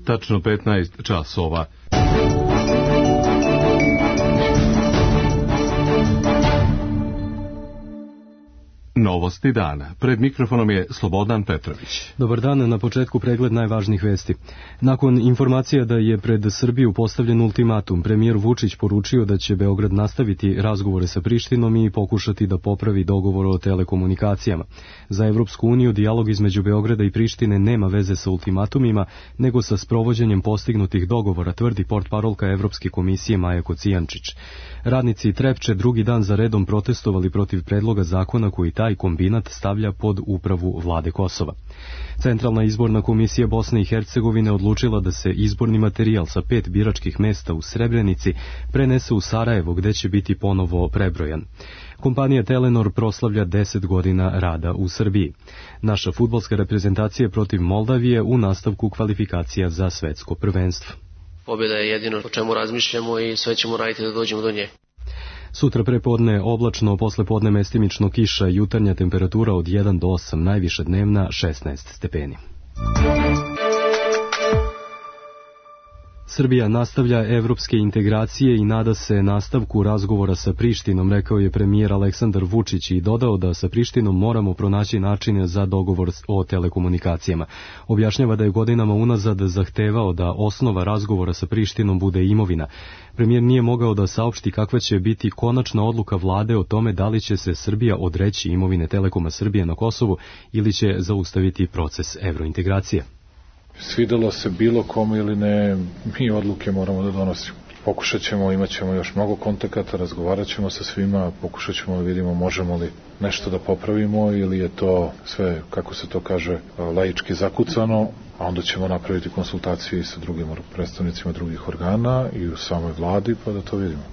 tačno 15 časova. Novosti dana. Pred mikrofonom je Slobodan Petrović. Dobar dan, na početku pregled najvažnijih vesti. Nakon informacija da je pred Srbiju postavljen ultimatum, premijer Vučić poručio da će Beograd nastaviti razgovore sa Prištinom i pokušati da popravi dogovor o telekomunikacijama. Za Evropsku uniju dijalog između Beograda i Prištine nema veze sa ultimatumima, nego sa sprovođenjem postignutih dogovora, tvrdi portparolka Evropske komisije Maja Kocijančić. Radnici Trepče drugi dan za redom protestovali protiv predloga zakona koji taj kombinat stavlja pod upravu vlade Kosova. Centralna izborna komisija Bosne i Hercegovine odlučila da se izborni materijal sa 5 biračkih mesta u Srebrenici prenese u Sarajevo, gde će biti ponovo prebrojan. Kompanija Telenor proslavlja 10 godina rada u Srbiji. Naša fudbalska reprezentacija protiv Moldavije u nastavku kvalifikacija za svetsko prvenstvo. Pobjeda je jedino o čemu razmišljamo i sve ćemo raditi da dođemo do nje. Sutra prepodne oblačno, posle podne mestimično kiša, jutarnja temperatura od 1 do 8, najviša dnevna 16 stepeni. Srbija nastavlja evropske integracije i nada se nastavku razgovora sa Prištinom, rekao je premijer Aleksandar Vučić i dodao da sa Prištinom moramo pronaći načine za dogovor o telekomunikacijama. Objašnjava da je godinama unazad zahtevao da osnova razgovora sa Prištinom bude imovina. Premijer nije mogao da saopšti kakva će biti konačna odluka vlade o tome da li će se Srbija odreći imovine Telekoma Srbije na Kosovu ili će zaustaviti proces evrointegracije. Svidelo se bilo kome ili ne, mi odluke moramo da donosimo. Pokušat ćemo, imat ćemo još mnogo kontakata, razgovarat ćemo sa svima, pokušat ćemo da vidimo možemo li nešto da popravimo ili je to sve, kako se to kaže, laički zakucano, a onda ćemo napraviti konsultacije sa drugim predstavnicima drugih organa i u samoj vladi pa da to vidimo.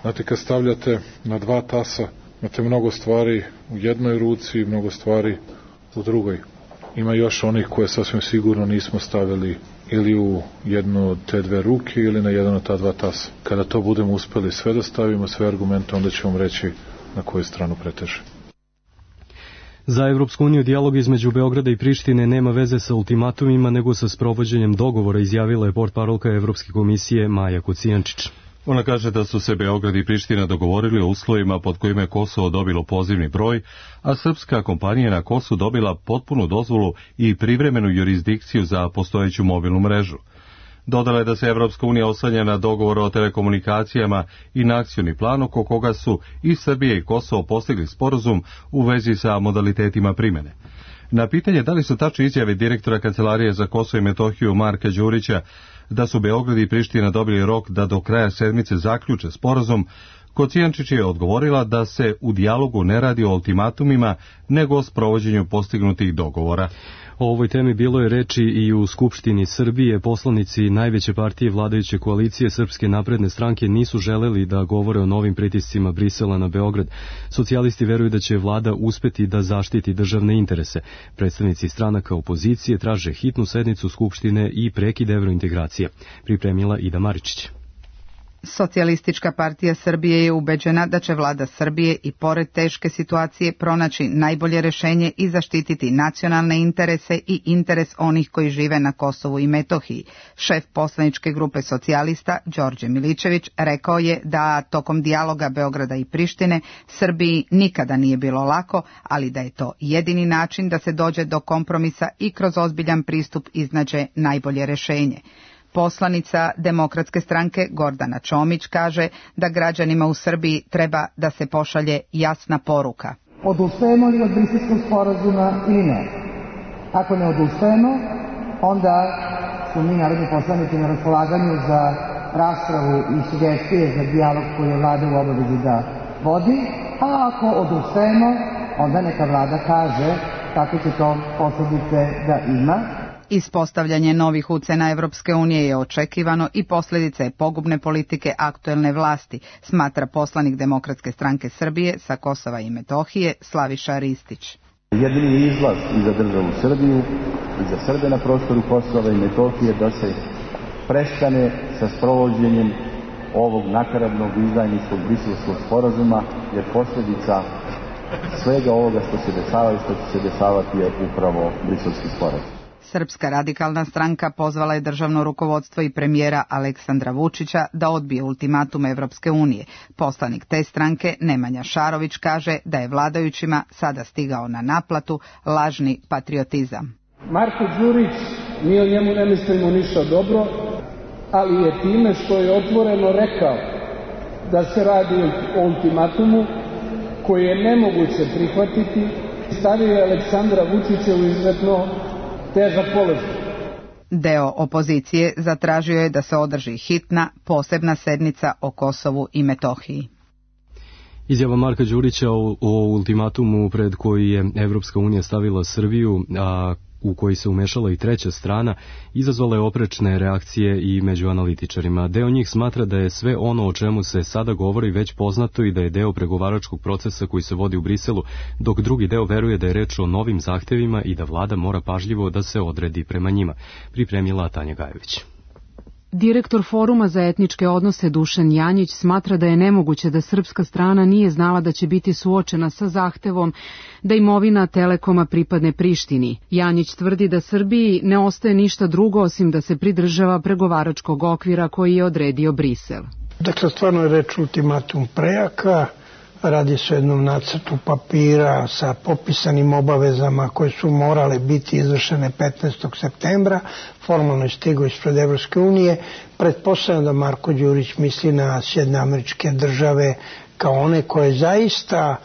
Znate, kad stavljate na 2 tasa, imate mnogo stvari u jednoj ruci i mnogo stvari u drugoj. Ima još onih koje sasvim sigurno nismo stavili ili u jednu od te 2 ruke ili na jedan od ta 2 tasa. Kada to budemo uspeli sve da stavimo, sve argumente, onda ćemo vam reći na koju stranu preteže. Za Evropsku uniju dijalog između Beograda i Prištine nema veze sa ultimatumima, nego sa sprovođenjem dogovora, izjavila je portparolka Evropske komisije Maja Kocijančić. Ona kaže da su se Beograd i Priština dogovorili o uslovima pod kojima je Kosovo dobilo pozivni broj, a srpska kompanija na Kosovu dobila potpunu dozvolu i privremenu jurisdikciju za postojeću mobilnu mrežu. Dodala je da se Evropska unija oslanja na dogovor o telekomunikacijama i na akcioni plan oko koga su i Srbija i Kosovo postigli sporazum u vezi sa modalitetima primene. Na pitanje da li su tačne izjave direktora Kancelarije za Kosovo i Metohiju Marka Đurića da su Beograd i Priština dobili rok da do kraja sedmice zaključe sporazum, Kocijančić je odgovorila da se u dijalogu ne radi o ultimatumima, nego o sprovođenju postignutih dogovora. O ovoj temi bilo je reči i u Skupštini Srbije. Poslanici najveće partije vladajuće koalicije Srpske napredne stranke nisu želeli da govore o novim pritiscima Brisela na Beograd. Socijalisti veruju da će vlada uspeti da zaštiti državne interese. Predstavnici stranaka opozicije traže hitnu sednicu Skupštine i prekid evrointegracije. Pripremila Ida Maričić. Socijalistička partija Srbije je ubeđena da će vlada Srbije i pored teške situacije pronaći najbolje rešenje i zaštititi nacionalne interese i interes onih koji žive na Kosovu i Metohiji. Šef poslaničke grupe socijalista, Đorđe Milićević, rekao je da tokom dijaloga Beograda i Prištine Srbiji nikada nije bilo lako, ali da je to jedini način da se dođe do kompromisa i kroz ozbiljan pristup iznađe najbolje rešenje. Poslanica Demokratske stranke Gordana Čomić kaže da građanima u Srbiji treba da se pošalje jasna poruka. Odustajemo li od Briselskog sporazuma ili ne? Ako ne odustajemo, onda su mi narodni poslanici na raspolaganju za raspravu i sugestije za dijalog koji je vlada u obavezi da vodi, a ako odustajemo, onda neka vlada kaže kako će to posljedice da ima. Ispostavljanje novih ucena Evropske unije je očekivano i posljedica je pogubne politike aktuelne vlasti, smatra poslanik Demokratske stranke Srbije sa Kosova i Metohije Slaviša Ristić. Jedini izlaz i za državu Srbiju i za Srbe na prostoru Kosova i Metohije da se prestane sa sprovođenjem ovog nakaradnog izdajničkog Briselskog sporazuma, jer posljedica svega ovoga što se dešava i što će se dešavati je upravo Briselski sporazum. Srpska radikalna stranka pozvala je državno rukovodstvo i premijera Aleksandra Vučića da odbije ultimatum Evropske unije. Poslanik te stranke Nemanja Šarović kaže da je vladajućima sada stigao na naplatu lažni patriotizam. Marko Đurić, mi o njemu ne mislimo ništa dobro, ali je time što je otvoreno rekao da se radi o ultimatumu koji je nemoguće prihvatiti, stavio je Aleksandra Vučića u izuzetno težak položaj. Deo opozicije zatražio je da se održi hitna, posebna sednica o Kosovu i Metohiji. Izjava Marka Đurića o ultimatumu pred koji je Evropska unija stavila Srbiju, a u koji se umešala i treća strana, izazvala je oprečne reakcije i među analitičarima. Deo njih smatra da je sve ono o čemu se sada govori već poznato i da je deo pregovaračkog procesa koji se vodi u Briselu, dok drugi deo veruje da je reč o novim zahtevima i da vlada mora pažljivo da se odredi prema njima. Pripremila Tanja Gajović. Direktor Foruma za etničke odnose Dušan Janjić smatra da je nemoguće da srpska strana nije znala da će biti suočena sa zahtevom da imovina Telekoma pripadne Prištini. Janjić tvrdi da Srbiji ne ostaje ništa drugo osim da se pridržava pregovaračkog okvira koji je odredio Brisel. Dakle, stvarno je reč ultimatum prejaka. Radi se o jednom nacrtu papira sa popisanim obavezama koje su morale biti izvršene 15. septembra. Formalno je stigao ispred Evropske unije. Pretpostavljam da Marko Đurić misli na Sjedinjene Američke Države kao one koje zaista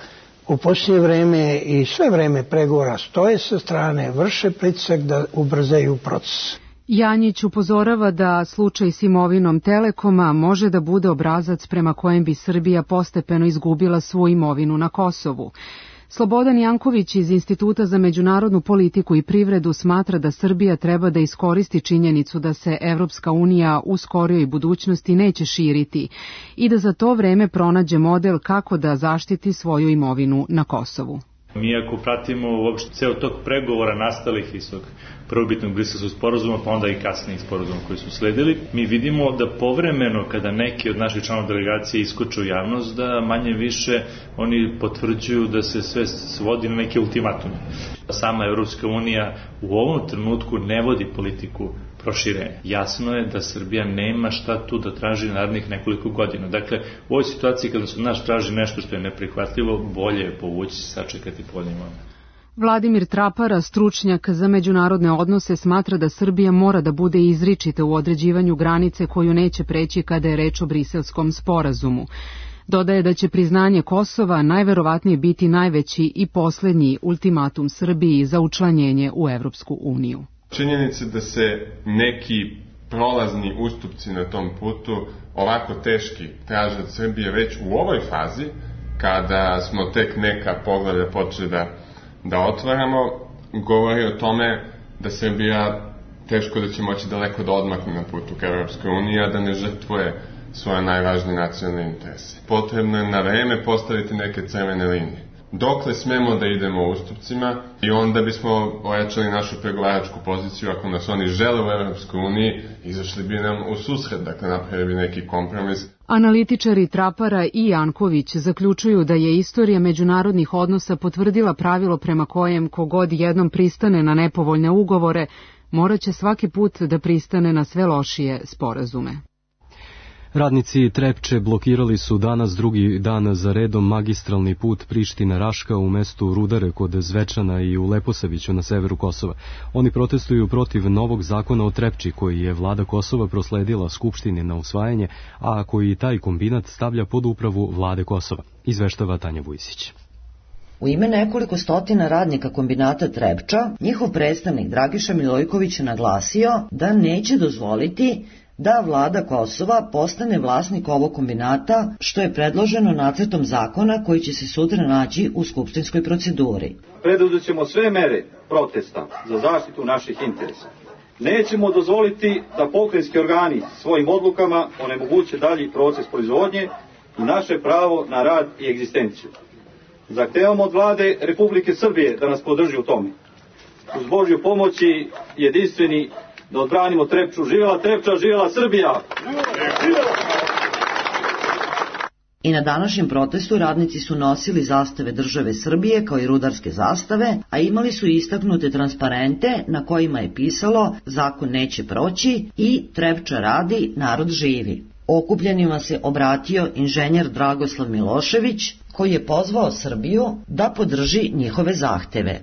u posljednje vreme i sve vreme pregovora stoje sa strane, vrše pritisak da ubrzaju proces. Janjić upozorava da slučaj s imovinom Telekoma može da bude obrazac prema kojem bi Srbija postepeno izgubila svu imovinu na Kosovu. Slobodan Janković iz Instituta za međunarodnu politiku i privredu smatra da Srbija treba da iskoristi činjenicu da se Evropska unija u skorijoj budućnosti neće širiti i da za to vreme pronađe model kako da zaštiti svoju imovinu na Kosovu. Mi ako pratimo uopšte ceo tok pregovora nastalih iz tog prvobitnog Briselskog sporazuma, pa onda i kasnijih sporazuma koji su sledili, mi vidimo da povremeno kada neki od naših članova delegacije iskoče u javnost, da manje više oni potvrđuju da se sve svodi na neke ultimatume. Sama Evropska unija u ovom trenutku ne vodi politiku proširenja. Jasno je da Srbija nema šta tu da traži narednih nekoliko godina. Dakle, u ovoj situaciji kada se od nas traži nešto što je neprihvatljivo, bolje je povući se, sačekati povoljniji moment. Vladimir Trapara, stručnjak za međunarodne odnose, smatra da Srbija mora da bude izričita u određivanju granice koju neće preći kada je reč o Briselskom sporazumu. Dodaje da će priznanje Kosova najverovatnije biti najveći i poslednji ultimatum Srbiji za učlanjenje u Evropsku uniju. Činjenica da se neki prolazni ustupci na tom putu ovako teški traže od Srbije već u ovoj fazi, kada smo tek neka poglavlja počeli da otvaramo, govori o tome da Srbija teško da će moći daleko da odmakne na putu ka Evropskoj uniji, a da ne žrtvuje svoje najvažnije nacionalne interese. Potrebno je na vreme postaviti neke crvene linije. Dokle smemo da idemo ustupcima i onda bismo ojačali našu pregovaračku poziciju ako nas oni žele u Evropskoj uniji, izašli bi nam u susret, dakle napravili bi neki kompromis. Analitičari Trapara i Janković zaključuju da je istorija međunarodnih odnosa potvrdila pravilo prema kojem kogod jednom pristane na nepovoljne ugovore, moraće svaki put da pristane na sve lošije sporazume. Radnici Trepče blokirali su danas drugi dan za redom magistralni put Priština-Raška u mestu Rudare kod Zvečana i u Leposaviću na severu Kosova. Oni protestuju protiv novog zakona o Trepči koji je vlada Kosova prosledila Skupštini na usvajanje, a koji taj kombinat stavlja pod upravu vlade Kosova. Izveštava Tanja Vujsić. U ime nekoliko stotina radnika kombinata Trepča, njihov predstavnik Dragiša Milojković je naglasio da neće dozvoliti da vlada Kosova postane vlasnik ovog kombinata, što je predloženo nacrtom zakona koji će se sutra naći u skupštinskoj proceduri. Preduzet ćemo sve mere protesta za zaštitu naših interesa. Nećemo dozvoliti da pokrajinski organi svojim odlukama onemoguće dalji proces proizvodnje i naše pravo na rad i egzistenciju. Zahtevamo od vlade Republike Srbije da nas podrži u tome. Uz Božju pomoć i jedinstveni da odbranimo Trepču. Živjela Trepča, živjela Srbija! I na današnjem protestu radnici su nosili zastave države Srbije kao i rudarske zastave, a imali su istaknute transparente na kojima je pisalo zakon neće proći i Trepča radi, narod živi. Okupljenima se obratio inženjer Dragoslav Milošević, koji je pozvao Srbiju da podrži njihove zahteve.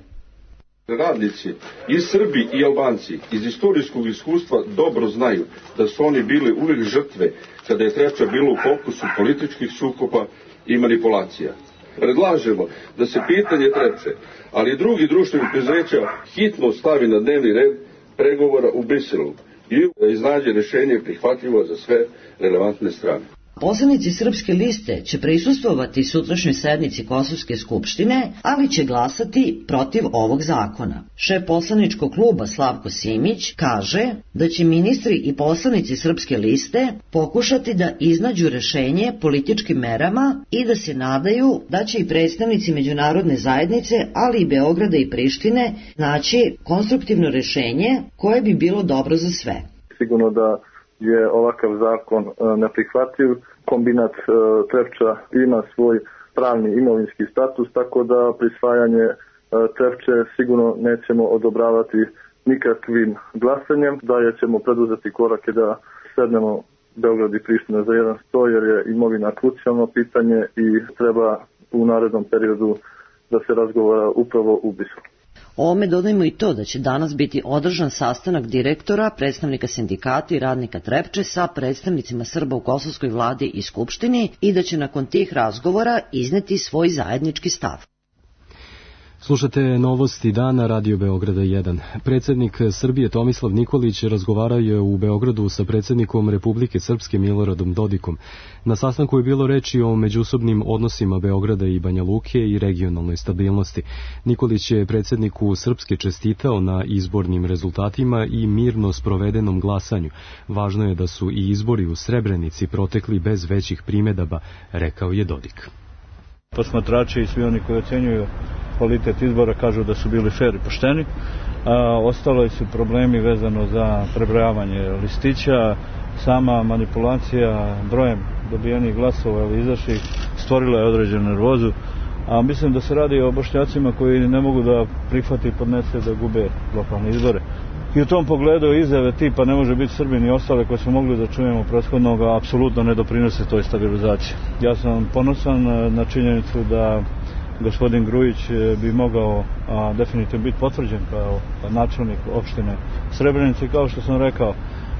Radnici i Srbi i Albanci iz istorijskog iskustva dobro znaju da su oni bili uvijek žrtve kada je Trepča bilo u fokusu političkih sukoba i manipulacija. Predlažemo da se pitanje Trepče, ali i drugi društvenih preduzeća hitno stavi na dnevni red pregovora u Briselu i da iznađe rješenje prihvatljivo za sve relevantne strane. Poslanici Srpske liste će prisustvovati sutrašnjoj sednici Kosovske skupštine, ali će glasati protiv ovog zakona. Šef poslaničkog kluba Slavko Simić kaže da će ministri i poslanici Srpske liste pokušati da iznađu rešenje političkim merama i da se nadaju da će i predstavnici međunarodne zajednice, ali i Beograda i Prištine, naći konstruktivno rešenje koje bi bilo dobro za sve. Sigurno da je ovakav zakon neprihvatljiv. Kombinat Trepča ima svoj pravni imovinski status, tako da prisvajanje Trepče sigurno nećemo odobravati nikakvim glasanjem, da ćemo preduzeti korake da sednemo Beograd i Priština za jedan sto, jer je imovina krucijalno pitanje i treba u narednom periodu da se razgovara upravo u Briselu. Ovome dodajmo i to da će danas biti održan sastanak direktora, predstavnika sindikata i radnika Trepče sa predstavnicima Srba u kosovskoj vladi i skupštini i da će nakon tih razgovora izneti svoj zajednički stav. Slušate novosti dana Radio Beograda 1. Predsjednik Srbije Tomislav Nikolić razgovarao je u Beogradu sa predsjednikom Republike Srpske Miloradom Dodikom. Na sastanku je bilo reči o međusobnim odnosima Beograda i Banja Luke i regionalnoj stabilnosti. Nikolić je predsjedniku Srpske čestitao na izbornim rezultatima i mirno sprovedenom glasanju. Važno je da su i izbori u Srebrenici protekli bez većih primjedaba, rekao je Dodik. Posmatrači i svi oni koji ocenjuju kvalitet izbora kažu da su bili fer i pošteni. Ostalo su problemi vezano za prebrojavanje listića, sama manipulacija brojem dobijenih glasova ili izašlih stvorila je određenu nervozu, a mislim da se radi o Bošnjacima koji ne mogu da prihvati i podnese da gube lokalne izbore. I u tom pogledu izjave tipa ne može biti Srbin i ostale koje smo mogli da čujemo prethodnoga apsolutno ne doprinose toj stabilizaciji. Ja sam ponosan na činjenicu da gospodin Grujić bi mogao definitivno biti potvrđen kao načelnik opštine Srebrenice. Kao što sam rekao,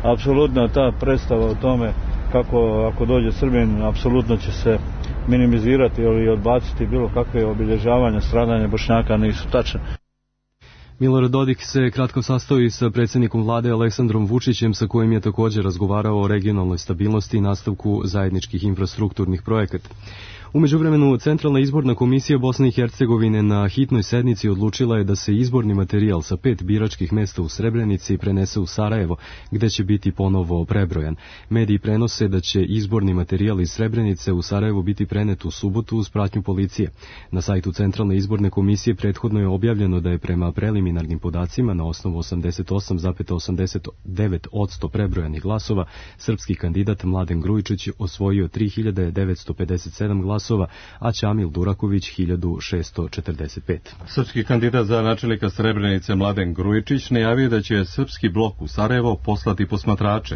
apsolutno ta predstava o tome kako ako dođe Srbin, apsolutno će se minimizirati ili odbaciti bilo kakve obilježavanja, stradanja Bošnjaka nisu tačne. Milorad Dodik se kratko sastao i sa predsjednikom vlade Aleksandrom Vučićem, sa kojim je također razgovarao o regionalnoj stabilnosti i nastavku zajedničkih infrastrukturnih projekata. U međuvremenu, Centralna izborna komisija Bosne i Hercegovine na hitnoj sednici odlučila je da se izborni materijal sa 5 biračkih mesta u Srebrenici prenese u Sarajevo, gde će biti ponovo prebrojan. Mediji prenose da će izborni materijal iz Srebrenice u Sarajevo biti prenet u subotu uz pratnju policije. Na sajtu Centralne izborne komisije prethodno je objavljeno da je prema preliminarnim podacima na osnovu 88,89% prebrojanih glasova srpski kandidat Mladen Grujičić osvojio 3957 glasova, a Ćamil Duraković 1645. Srpski kandidat za načelnika Srebrenice Mladen Grujičić najavio da će srpski blok u Sarajevo poslati posmatrače.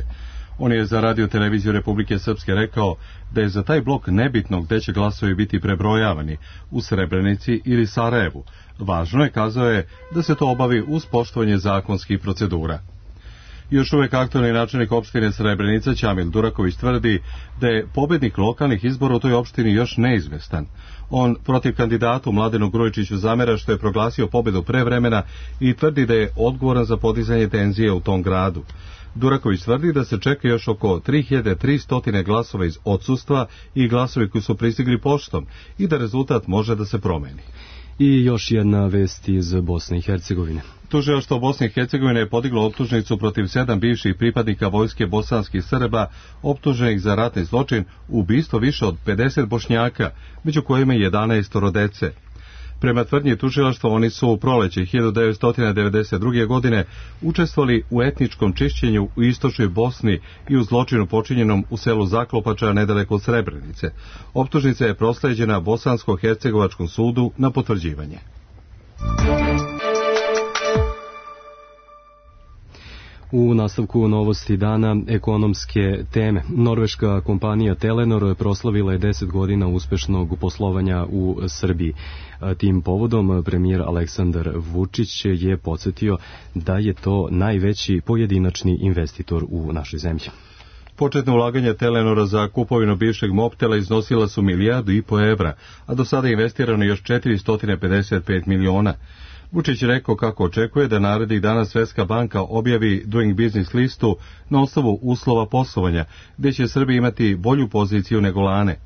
On je za Radio televiziju Republike Srpske rekao da je za taj blok nebitno gde će glasovi biti prebrojavani, u Srebrenici ili Sarajevu. Važno je, kazao je, da se to obavi uz poštovanje zakonskih procedura. Još uvek aktualni načelnik opštine Srebrenica Ćamil Duraković tvrdi da je pobednik lokalnih izbora u toj opštini još neizvestan. On protiv kandidatu Mladenu Grujičiću zamera što je proglasio pobedu pre vremena i tvrdi da je odgovoran za podizanje tenzije u tom gradu. Duraković tvrdi da se čeka još oko 3300 glasova iz odsustva i glasovi koji su pristigli poštom i da rezultat može da se promeni. I još jedna vest iz Bosne i Hercegovine. Tužilaštvo Bosne i Hercegovine je podiglo optužnicu protiv 7 bivših pripadnika vojske bosanskih Srba optuženih za ratni zločin, ubistvo više od 50 Bošnjaka, među kojima 11 dece. Prema tvrdnji tužilaštva, oni su u proleće 1992. godine učestvovali u etničkom čišćenju u istočnoj Bosni i u zločinu počinjenom u selu Zaklopača nedaleko od Srebrenice. Optužnica je prosleđena Bosansko-Hercegovačkom sudu na potvrđivanje. U nastavku novosti dana ekonomske teme. Norveška kompanija Telenor proslavila je 10 godina uspešnog poslovanja u Srbiji. Tim povodom premijer Aleksandar Vučić je podsjetio da je to najveći pojedinačni investitor u našoj zemlji. Početno ulaganje Telenora za kupovinu bivšeg Mobtela iznosila su 1,5 milijardu evra, a do sada je investirano još 455 miliona. Vučić je rekao kako očekuje da narednih dana Svetska banka objavi Doing Business listu na osnovu uslova poslovanja, gdje će Srbija imati bolju poziciju nego lane.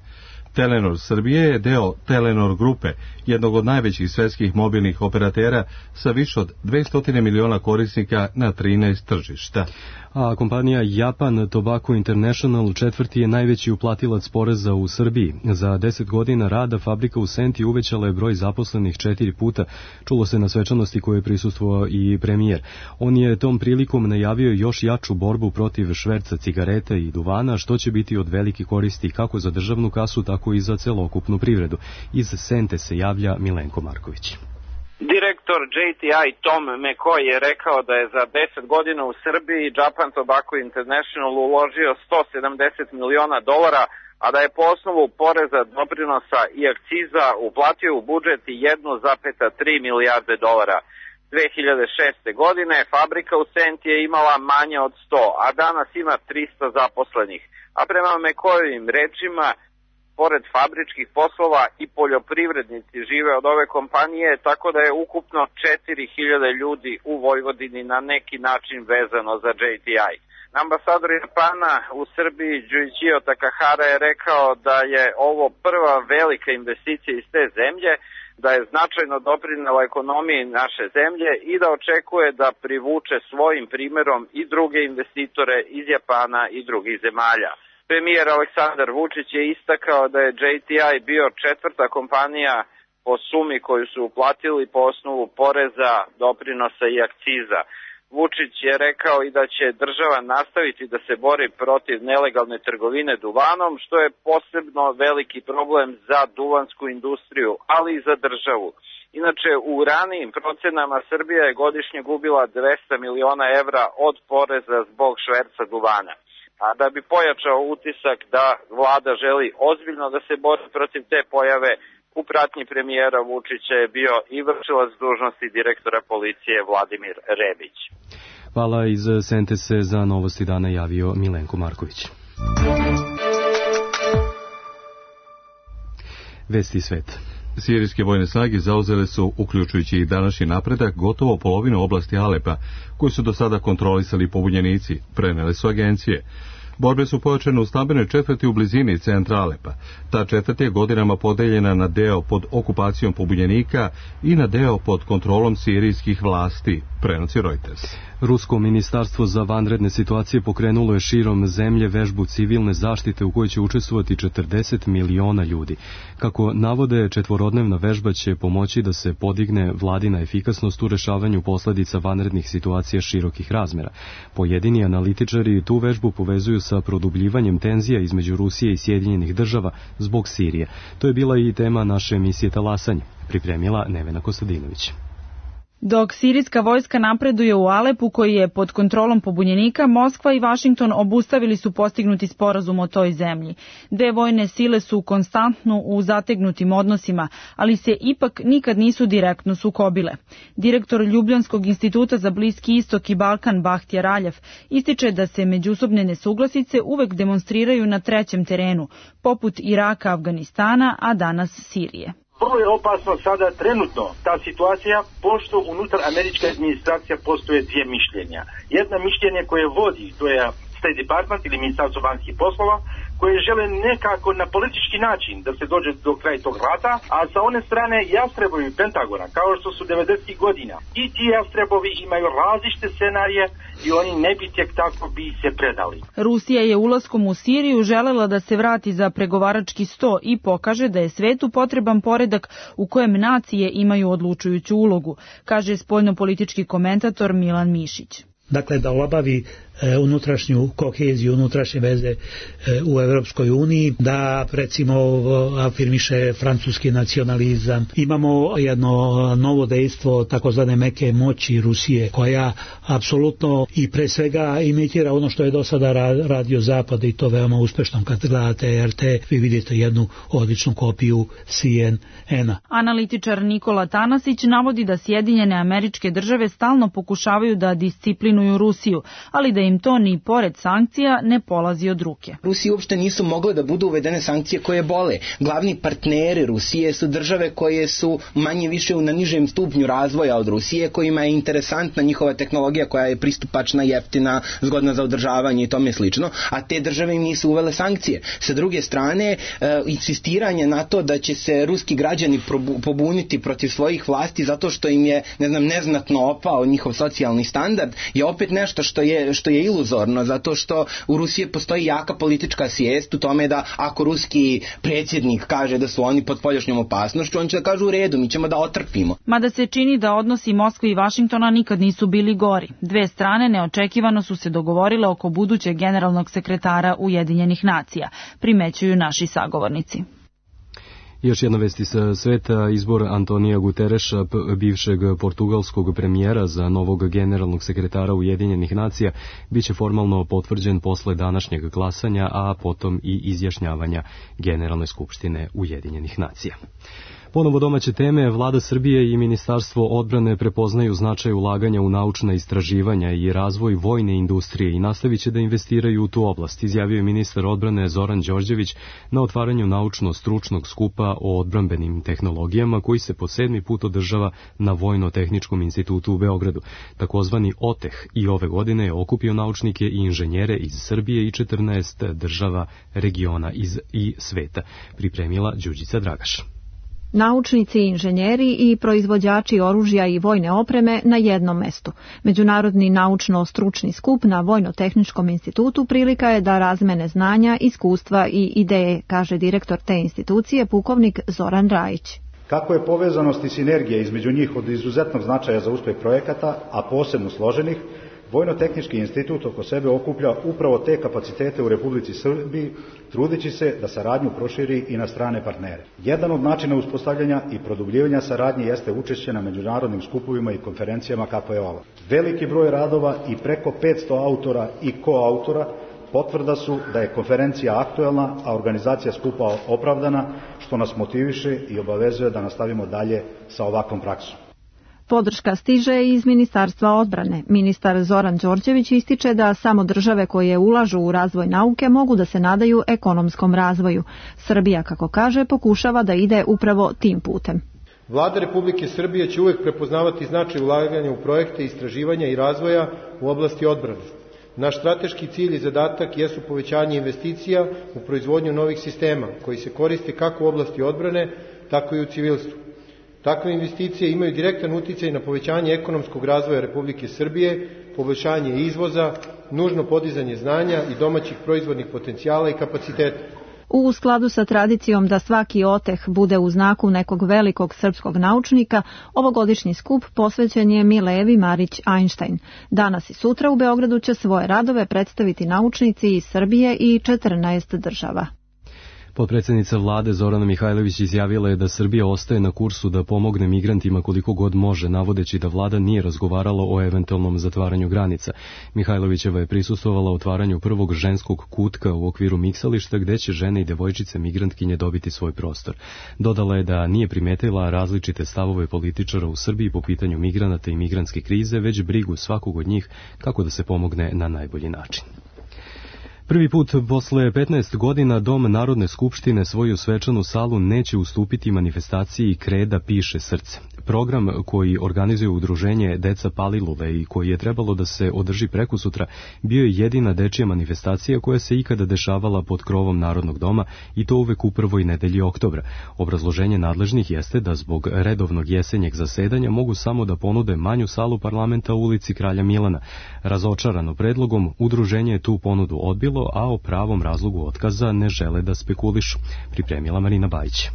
Telenor Srbije je deo Telenor grupe, jednog od najvećih svetskih mobilnih operatera sa više od 200 miliona korisnika na 13 tržišta. A kompanija Japan Tobacco International četvrti je najveći uplatilac poreza u Srbiji. Za 10 godina rada fabrika u Senti uvećala je broj zaposlenih 4 puta. Čulo se na svečanosti koje je prisustvovao i premijer. On je tom prilikom najavio još jaču borbu protiv šverca cigareta i duvana, što će biti od velike koristi kako za državnu kasu, tako i za celokupnu privredu. Iz Sente se javlja Milenko Marković. Direktor JTI Tom McCoy je rekao da je za 10 godina u Srbiji Japan Tobacco International uložio $170 miliona, a da je po osnovu poreza, doprinosa i akciza uplatio u budžet $1,3 milijarde. 2006. godine fabrika u Senti je imala manje od 100, a danas ima 300 zaposlenih. A prema McCoyovim rečima, pored fabričkih poslova i poljoprivrednici žive od ove kompanije, tako da je ukupno 4.000 ljudi u Vojvodini na neki način vezano za JTI. Ambasador Japana u Srbiji Juichiro Takahara je rekao da je ovo prva velika investicija iz te zemlje, da je značajno doprinela ekonomiji naše zemlje i da očekuje da privuče svojim primerom i druge investitore iz Japana i drugih zemalja. Premijer Aleksandar Vučić je istakao da je JTI bio četvrta kompanija po sumi koju su uplatili po osnovu poreza, doprinosa i akciza. Vučić je rekao i da će država nastaviti da se bori protiv nelegalne trgovine duvanom, što je posebno veliki problem za duvansku industriju, ali i za državu. Inače, u ranijim procenama Srbija je godišnje gubila 200 miliona evra od poreza zbog šverca duvana. A da bi pojačao utisak da vlada želi ozbiljno da se bori protiv te pojave, u pratnji premijera Vučića je bio i vršilac dužnosti direktora policije Vladimir Rebić. Hvala, iz Sente se za novosti dana javio Milenko Marković. Vesti sveta. Sirijske vojne snage zauzele su, uključujući i današnji napredak, gotovo polovinu oblasti Alepa, koju su do sada kontrolisali pobunjenici, prenele su agencije. Borbe su pojačane u stambenoj četvrti u blizini centra Alepa. Ta četvrt je godinama podeljena na deo pod okupacijom pobunjenika i na deo pod kontrolom sirijskih vlasti, prenosi Reuters. Rusko ministarstvo za vanredne situacije pokrenulo je širom zemlje vežbu civilne zaštite u kojoj će učestvovati 40 miliona ljudi. Kako navode, četvorodnevna vežba će pomoći da se podigne vladina efikasnost u rešavanju posledica vanrednih situacija širokih razmera. Pojedini analitičari tu vežbu povezuju sa produbljivanjem tenzija između Rusije i Sjedinjenih država zbog Sirije. To je bila i tema naše emisije Talasanje, pripremila Nevena Kostadinović. Dok sirijska vojska napreduje u Alepu, koji je pod kontrolom pobunjenika, Moskva i Vašington obustavili su postignuti sporazum o toj zemlji. Dve vojne sile su konstantno u zategnutim odnosima, ali se ipak nikad nisu direktno sukobile. Direktor Ljubljanskog instituta za Bliski istok i Balkan Bahtija Raljev ističe da se međusobne nesuglasice uvek demonstriraju na trećem terenu, poput Iraka, Afganistana, a danas Sirije. Vrlo je opasno sada trenutno ta situacija, pošto unutar američke administracija postoje dvije mišljenja. Jedna mišljenje koje vodi, to je State Department ili Ministarstvo vanjskih poslova, koje žele nekako na politički način da se dođe do kraja tog rata, a sa one strane jastrebovi Pentagona, kao što su 90. godina. I ti jastrebovi imaju različite scenarije i oni ne bi tek tako bi se predali. Rusija je ulaskom u Siriju želela da se vrati za pregovarački sto i pokaže da je svetu potreban poredak u kojem nacije imaju odlučujuću ulogu, kaže spoljnopolitički komentator Milan Mišić. Dakle, da obavi unutrašnju koheziju, unutrašnje veze u Evropskoj uniji, da recimo afirmiše francuski nacionalizam. Imamo jedno novo dejstvo takozvane meke moći Rusije, koja apsolutno i pre svega imitira ono što je do sada radio Zapad i to veoma uspešno. Kad gledate RT, vi vidite jednu odličnu kopiju CNN-a. Analitičar Nikola Tanasić navodi da Sjedinjene Američke Države stalno pokušavaju da disciplinuju Rusiju, ali da im to ni pored sankcija ne polazi od ruke. Rusiji uopšte nisu mogle da budu uvedene sankcije koje bole. Glavni partneri Rusije su države koje su manje više na nižem stupnju razvoja od Rusije, kojima je interesantna njihova tehnologija koja je pristupačna, jeftina, zgodna za održavanje i tome slično, a te države im nisu uvele sankcije. Sa druge strane, insistiranje na to da će se ruski građani pobuniti protiv svojih vlasti zato što im je, neznatno opao njihov socijalni standard, je opet nešto što je iluzorno, zato što u Rusiji postoji jaka politička svijest u tome da ako ruski predsjednik kaže da su oni pod spoljašnjom opasnošću, on će da kažu u redu, mi ćemo da otrpimo. Mada se čini da odnosi Moskve i Vašingtona nikad nisu bili gori. Dve strane neočekivano su se dogovorile oko budućeg generalnog sekretara Ujedinjenih nacija, primećuju naši sagovornici. Još jedna vest iz sveta, izbor Antonija Gutereša, bivšeg portugalskog premijera za novog generalnog sekretara Ujedinjenih nacija, biće formalno potvrđen posle današnjeg glasanja, a potom i izjašnjavanja Generalne skupštine Ujedinjenih nacija. Ponovo domaće teme, Vlada Srbije i Ministarstvo odbrane prepoznaju značaj ulaganja u naučna istraživanja i razvoj vojne industrije i nastavit će da investiraju u tu oblast, izjavio je ministar odbrane Zoran Đorđević na otvaranju naučno-stručnog skupa o odbrambenim tehnologijama koji se po 7. put održava na Vojno-tehničkom institutu u Beogradu. Takozvani OTEH i ove godine je okupio naučnike i inženjere iz Srbije i 14 država, regiona i sveta, pripremila Đurđica Dragaš. Naučnici, inženjeri i proizvođači oružja i vojne opreme na jednom mestu. Međunarodni naučno-stručni skup na Vojno-tehničkom institutu prilika je da razmene znanja, iskustva i ideje, kaže direktor te institucije, pukovnik Zoran Rajić. Kako je povezanost i sinergija između njih od izuzetnog značaja za uspeh projekata, a posebno složenih, Vojno-tehnički institut oko sebe okuplja upravo te kapacitete u Republici Srbiji, trudeći se da saradnju proširi i na strane partnere. Jedan od načina uspostavljanja i produbljivanja saradnje jeste učešće na međunarodnim skupovima i konferencijama kako je ova. Veliki broj radova i preko 500 autora i koautora potvrda su da je konferencija aktuelna, a organizacija skupa opravdana, što nas motiviše i obavezuje da nastavimo dalje sa ovakvom praksom. Podrška stiže iz Ministarstva odbrane. Ministar Zoran Đorđević ističe da samo države koje ulažu u razvoj nauke mogu da se nadaju ekonomskom razvoju. Srbija, kako kaže, pokušava da ide upravo tim putem. Vlada Republike Srbije će uvek prepoznavati značaj ulaganja u projekte istraživanja i razvoja u oblasti odbrane. Naš strateški cilj i zadatak jesu povećanje investicija u proizvodnju novih sistema koji se koriste kako u oblasti odbrane, tako i u civilstvu. Takve investicije imaju direktan uticaj na povećanje ekonomskog razvoja Republike Srbije, poboljšanje izvoza, nužno podizanje znanja i domaćih proizvodnih potencijala i kapaciteta. U skladu sa tradicijom da svaki OTEH bude u znaku nekog velikog srpskog naučnika, ovogodišnji skup posvećen je Milevi Marić Einstein. Danas i sutra u Beogradu će svoje radove predstaviti naučnici iz Srbije i 14 država. Potpredsjednica vlade Zorana Mihajlović izjavila je da Srbija ostaje na kursu da pomogne migrantima koliko god može, navodeći da vlada nije razgovarala o eventualnom zatvaranju granica. Mihajlovićeva je prisustvovala otvaranju prvog ženskog kutka u okviru miksališta gde će žene i devojčice migrantkinje dobiti svoj prostor. Dodala je da nije primetila različite stavove političara u Srbiji po pitanju migranata i migrantske krize, već brigu svakog od njih kako da se pomogne na najbolji način. Prvi put posle 15 godina Dom Narodne skupštine svoju svečanu salu neće ustupiti manifestaciji Kreda piše srce. Program koji organizuje udruženje Deca Palilule i koji je trebalo da se održi prekosutra bio je jedina dečija manifestacija koja se ikada dešavala pod krovom Narodnog doma i to uvek u prvoj nedelji oktobra. Obrazloženje nadležnih jeste da zbog redovnog jesenjeg zasedanja mogu samo da ponude manju salu parlamenta u ulici Kralja Milana. Razočarano predlogom, udruženje je tu ponudu odbilo, a o pravom razlogu otkaza ne žele da spekulišu. Pripremila Marina Bajić.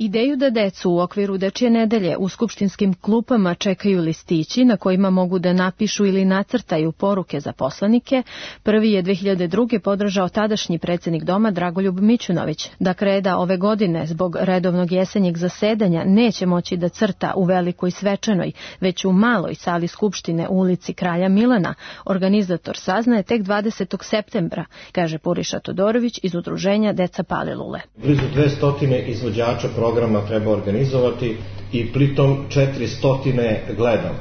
Ideju da decu u okviru dečje nedelje u skupštinskim klupama čekaju listići na kojima mogu da napišu ili nacrtaju poruke za poslanike, prvi je 2002. podržao tadašnji predsjednik doma Dragoljub Mićunović. Da Kreda ove godine zbog redovnog jesenjeg zasedanja neće moći da crta u velikoj svečanoj, već u maloj sali skupštine u ulici Kralja Milana, organizator saznaje tek 20. septembra, kaže Puriša Todorović iz udruženja Deca Palilule. Blizu 200 izvođača programa treba organizovati i pritom 400 gledam.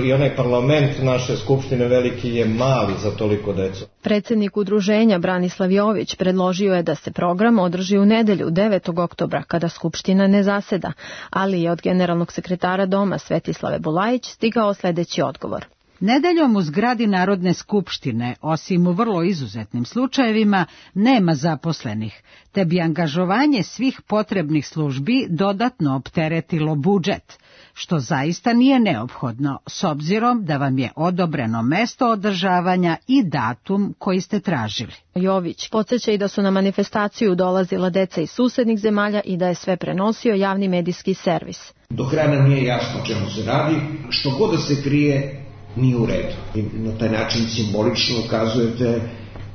I onaj parlament naše skupštine veliki je mali za toliko decu. Predsjednik udruženja Branislav Jović predložio je da se program održi u nedelju 9. oktobra kada skupština ne zaseda, ali je od generalnog sekretara doma Svetislave Bulajić stigao sljedeći odgovor. Nedeljom u zgradi Narodne skupštine, osim u vrlo izuzetnim slučajevima, nema zaposlenih, te bi angažovanje svih potrebnih službi dodatno opteretilo budžet, što zaista nije neophodno, s obzirom da vam je odobreno mesto održavanja i datum koji ste tražili. Jović podsjeća i da su na manifestaciju dolazila deca iz susednih zemalja i da je sve prenosio javni medijski servis. Do kraja nam nije jasno o čemu se radi, što god da se krije, nije u redu. I na taj način simbolično ukazujete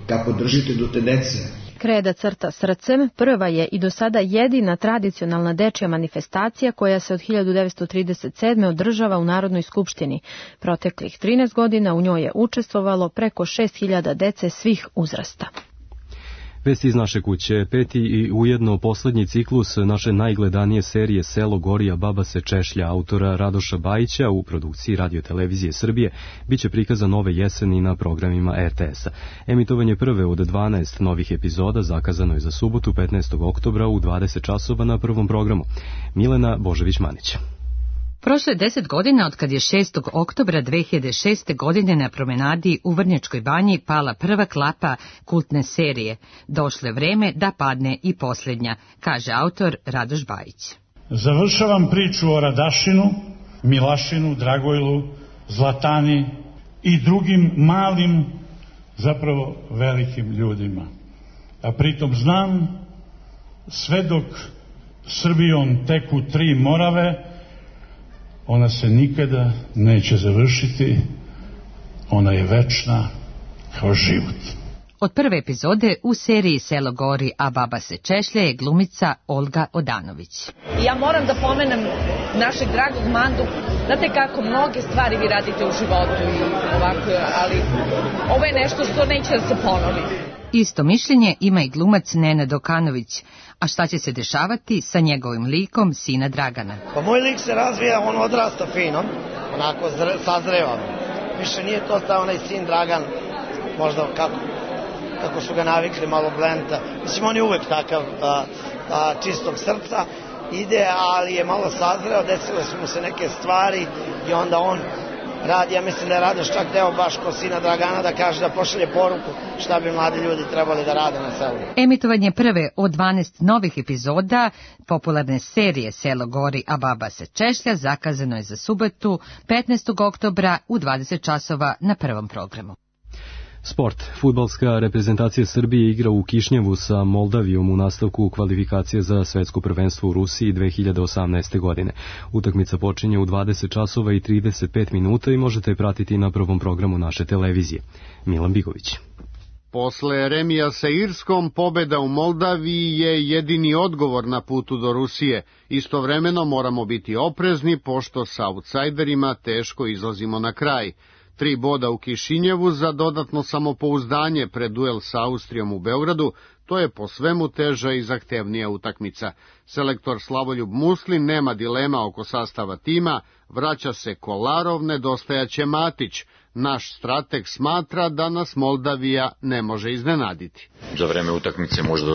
kako držite do te dece. Kreda crta srcem prva je i do sada jedina tradicionalna dečja manifestacija koja se od 1937. održava u Narodnoj skupštini. Proteklih 13 godina u njoj je učestvovalo preko 6000 dece svih uzrasta. Vesti iz naše kuće, peti i ujedno poslednji ciklus naše najgledanije serije Selo gori, a baba se češlja autora Radoša Bajića u produkciji Radio-televizije Srbije biće prikazan ove jeseni na programima RTS-a. Emitovanje prve od 12 novih epizoda zakazano je za subotu 15. oktobra u 20 časova na prvom programu. Milena Božević-Manić. Prošlo je 10 godina od kad je 6. oktobra 2006. godine na promenadi u Vrnjačkoj banji pala prva klapa kultne serije. Došlo je vreme da padne i posljednja, kaže autor Radoš Bajić. Završavam priču o Radašinu, Milašinu, Dragojlu, Zlatani i drugim malim, zapravo velikim ljudima. A pritom znam, sve dok Srbijom teku 3 Morave, ona se nikada neće završiti, ona je večna kao život. Od prve epizode u seriji Selo gori, a baba se češlja je glumica Olga Odanović. Ja moram da pomenem našeg dragog Mandu. Znate kako mnoge stvari vi radite u životu i ovako, ali ovo je nešto što neće da se ponovi. Isto mišljenje ima i glumac Nenad Okanović. A šta će se dešavati sa njegovim likom sina Dragana? Pa moj lik se razvija, on odrasta fino, onako sazreva. Više nije to ta onaj sin Dragan, možda kako su ga navikli, malo blenta. Mislim, on je uvek takav čistog srca, ide, ali je malo sazreo, desile su mu se neke stvari i onda on radi, ja mislim da je Radoš čak deo baš ko sina Dragana da kaže da pošalje poruku šta bi mladi ljudi trebali da rade na selu. Emitovanje prve od 12 novih epizoda popularne serije Selo gori, a baba se češlja zakazano je za subotu 15. oktobra u 20 časova na prvom programu. Sport. Fudbalska reprezentacija Srbije igra u Kišnjevu sa Moldavijom u nastavku kvalifikacije za svetsko prvenstvo u Rusiji 2018. godine. Utakmica počinje u 20 časova i 35 minuta i možete je pratiti na prvom programu naše televizije. Milan Bigović. Posle remija sa Irskom, pobeda u Moldaviji je jedini odgovor na putu do Rusije. Istovremeno moramo biti oprezni, pošto sa outsajderima teško izlazimo na kraj. 3 boda u Kišinjevu za dodatno samopouzdanje pred duel sa Austrijom u Beogradu, to je po svemu teža i zahtevnija utakmica. Selektor Slavoljub Muslin nema dilema oko sastava tima, vraća se Kolarov, nedostajaće Matić. Naš strateg smatra da nas Moldavija ne može iznenaditi. Za vreme utakmice može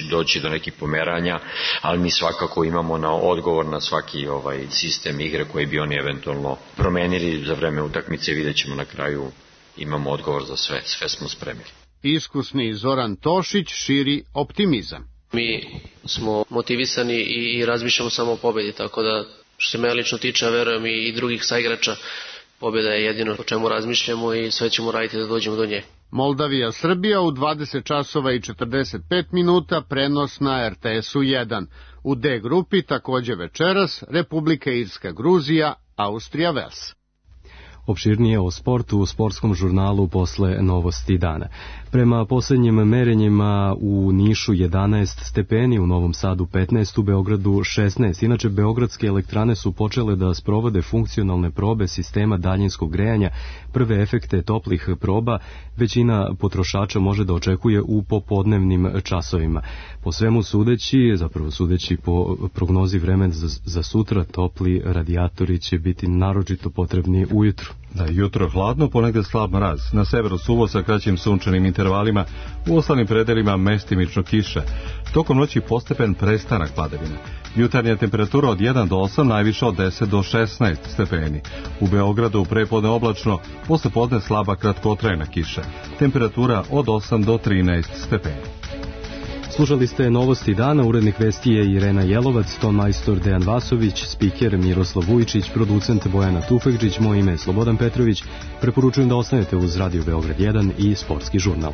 doći do nekih pomeranja, ali mi svakako imamo odgovor na svaki sistem igre koji bi oni eventualno promenili za vreme utakmice. Vidjet ćemo na kraju, imamo odgovor za sve smo spremili. Iskusni Zoran Tošić širi optimizam. Mi smo motivisani i razmišljamo samo o pobedi, tako da što se mene lično tiče, a verujem i drugih saigrača, pobjeda je jedino o čemu razmišljamo i sve ćemo raditi da dođemo do nje. Moldavija Srbija u 20 časova i 45 minuta, prenos na RTS-u 1. U D grupi takođe večeras Republika Irska Gruzija, Austrija Vels. Opširnije o sportu u sportskom žurnalu posle novosti dana. Prema poslednjim merenjima u Nišu 11 stepeni, u Novom Sadu 15, u Beogradu 16. Inače, beogradske elektrane su počele da sprovode funkcionalne probe sistema daljinskog grejanja. Prve efekte toplih proba većina potrošača može da očekuje u popodnevnim časovima. Po svemu sudeći po prognozi vremena za sutra, topli radijatori će biti naročito potrebni ujutru. Da, jutro hladno, ponegde slab mraz. Na severu suvo sa kraćim sunčanim intervalima, u ostalim predelima mestimično kiša. Tokom noći postepen prestanak padavina. Jutarnja temperatura od 1 do 8, najviša od 10 do 16 stepeni. U Beogradu prepodne oblačno, posle podne slaba kratkotrajna kiša. Temperatura od 8 do 13 stepeni. Slušali ste novosti dana, urednik vesti je Irena Jelovac, ton majstor Dejan Vasović, spiker Miroslav Vujičić, producent Bojana Tufekđić, moje ime je Slobodan Petrović. Preporučujem da ostanete uz Radio Beograd 1 i Sportski žurnal.